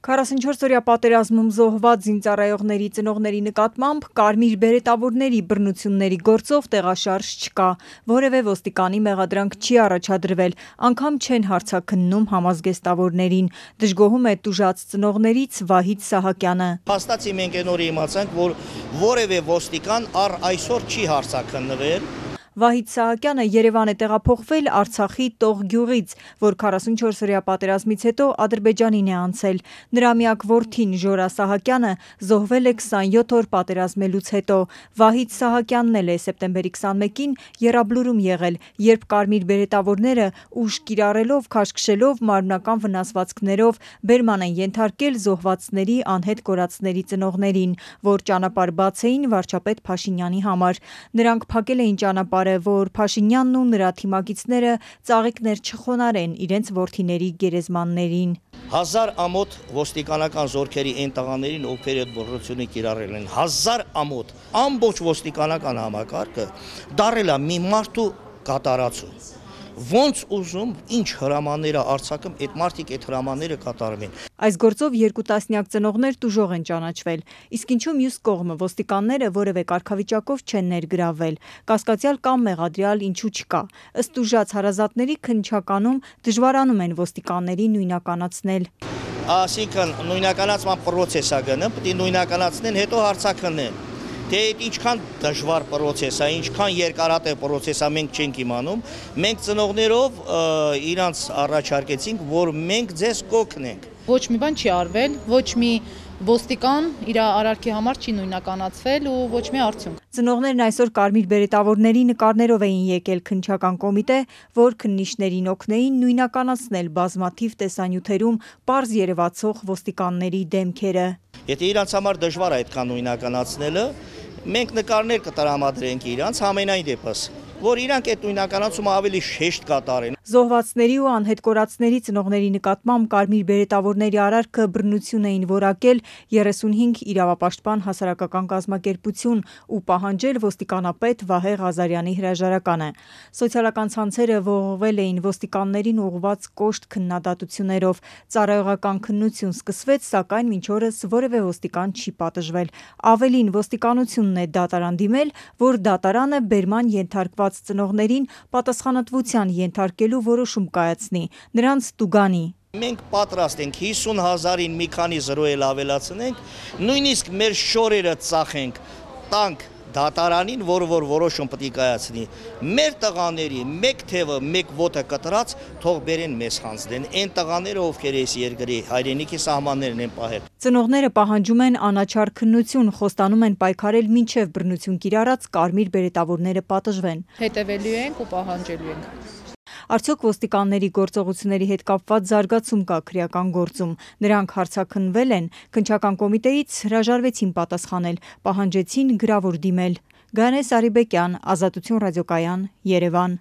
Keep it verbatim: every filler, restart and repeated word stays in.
քառասունչորս-օրյա պատերազմում զոհված զինծառայողների ծնողների նկատմամբ կարմիր բերետավորների բռնությունների գործով տեղաշարժ չկա, որևէ ոստիկանի մեղադրանք չի առաջադրվել, անգամ չեն հարցաքննում համազգեստավորներին, դժգոհում է տուժած ծնողներից Վահիթ Սահակյանը: Փաստացի մենք այն օրը իմացանք, որ որևէ ոստիկան առ այսօր չի հարցաքննվել: Վահիթ Սահակյանը Երևան է տեղափոխվել Արցախի Տող գյուղից, որ քառասունչորս-օրյա պատերազմից հետո Ադրբեջանին է անցել: Նրա միակ որդին Ժորա Սահակյանը զոհվել է քսանյոթ օր պատերազմելուց հետո: Վահիթ Սահակյանն էլ է սեպտեմբերի քսանմեկին Եռաբլուրում եղել, երբ կարմիր բերետավորները ուժ կիրառելով քաշքշելով մարմնական վնասվածքներով բերման են ենթարկել զոհվածների անհետ կորածների ծնողներին, որ ճանապարհ բաց էին վարչապետ Փաշինյանի համար: Նրանք փակել էին ճանապարհը, որ Փաշինյանն ու նրա թիմակիցները ծաղիկներ չխոնարհեն իրենց որդիների գերեզմաններին: Հազար ամոթ ոստիկանական զորքերի այն տղաներին, ովքեր այդ բռնությունը կիրառել են, հազար ամոթ, ամբողջ ոստիկանական համակարգը դարել է մի մարդու կատարածու: Ոնց ուզում, ինչ հրամաններ է արձակում, այդ մարդիկ այդ հրամանները կատարում են: Այս գործով երկու տասնյակ ծնողներ տուժող են ճանաչվել: Իսկ ինչու մյուս կողմը ոստիկանները որևէ կարգավիճակով չեն ներգրավվել: Կասկածյալ կամ մեղադրյալ ինչու չկա: Ըստ տուժած հարազատների, քննչականում դժվարանում են ոստիկաններին նույնականացնել: Այսինքն նույնականացման պրոցես է գնում, պետք է նույնականացնեն, հետո հարցաքննեն: Թե այդ ինչքան դժվար պրոցես է, ինչքան երկարատև պրոցես է, մենք չենք իմանում: Մենք ծնողներով իրանց առաջարկեցինք, որ մենք ձեզ կօգնենք: Ոչ մի բան չի արվել, ոչ մի ոստիկան իր արարքի համար չի նույնականացվել ու ոչ մի արդյունք: Ծնողներն այսօր կարմիր բերետավորների նկարներով էին եկել քննչական կոմիտե, որ քննիչներին օգնեին նույնականացնել բազմաթիվ տեսանյութերում պարզ երևացող ոստիկանների դեմքերը: Եթե իրանց համար դժվար է այդքան նույնականացնելը, մենք նկարներ կտրամադրենք իրանց, համենայն դեպս, որ իրանք այդ նույնականացումը ավելի շեշտ կատարեն: Զոհվածների ու անհետ կորածների ծնողների նկատմամբ կարմիր բերետավորների արարքը բռնություն էին որակել երեսունհինգ իրավապաշտպան հասարակական կազմակերպություն ու պահանջել ոստիկանապետ Վահե Ղազարյանի հրաժարականը: Սոցիալական ցանցերը ողողվել էին ոստիկաններին ուղղված կոշտ քննադատություններով: Ծառայողական քննություն սկսվեց, սակայն մինչ օրս որևէ ոստիկան չի պատժվել: Ավելին, ոստիկանությունն է դատարան դիմել, որ դատարանը բերման ենթարկված ծնողներին պատասխանատվության ենթարկելու որոշում կայացնի, նրանց տուգանի: Մենք պատրաստ ենք հիսուն հազարին մի քանի զրո էլ ավելացնենք, նույնիսկ մեր շորերը ծախենք, տանք դատարանին, որը որ որոշում պետք է կայացնի: Մեր տղաների մեկ թևը, մեկ ոտը կտրած թող բերեն մեզ հանձնեն: Այն տղաները, ովքեր այս երկրի հայրենիքի սահմաններն են պահել: Ծնողները պահանջում են անաչառ քննություն, խոստանում են պայքարել մինչև բռնություն կիրառած կարմիր բերետավորները պատժվեն: Հետևելու ենք ու պահանջելու ենք: Արդյոք ոստիկանների գործողությունների հետ կապված զարգացում կա քրեական գործում: Նրանք հարցաքննվել են: Քննչական կոմիտեից հրաժարվեցին պատասխանել, պահանջեցին գրավոր դիմել: Գայանե Սարիբեկյան, Ազատություն ռադիոկայան, Երևան: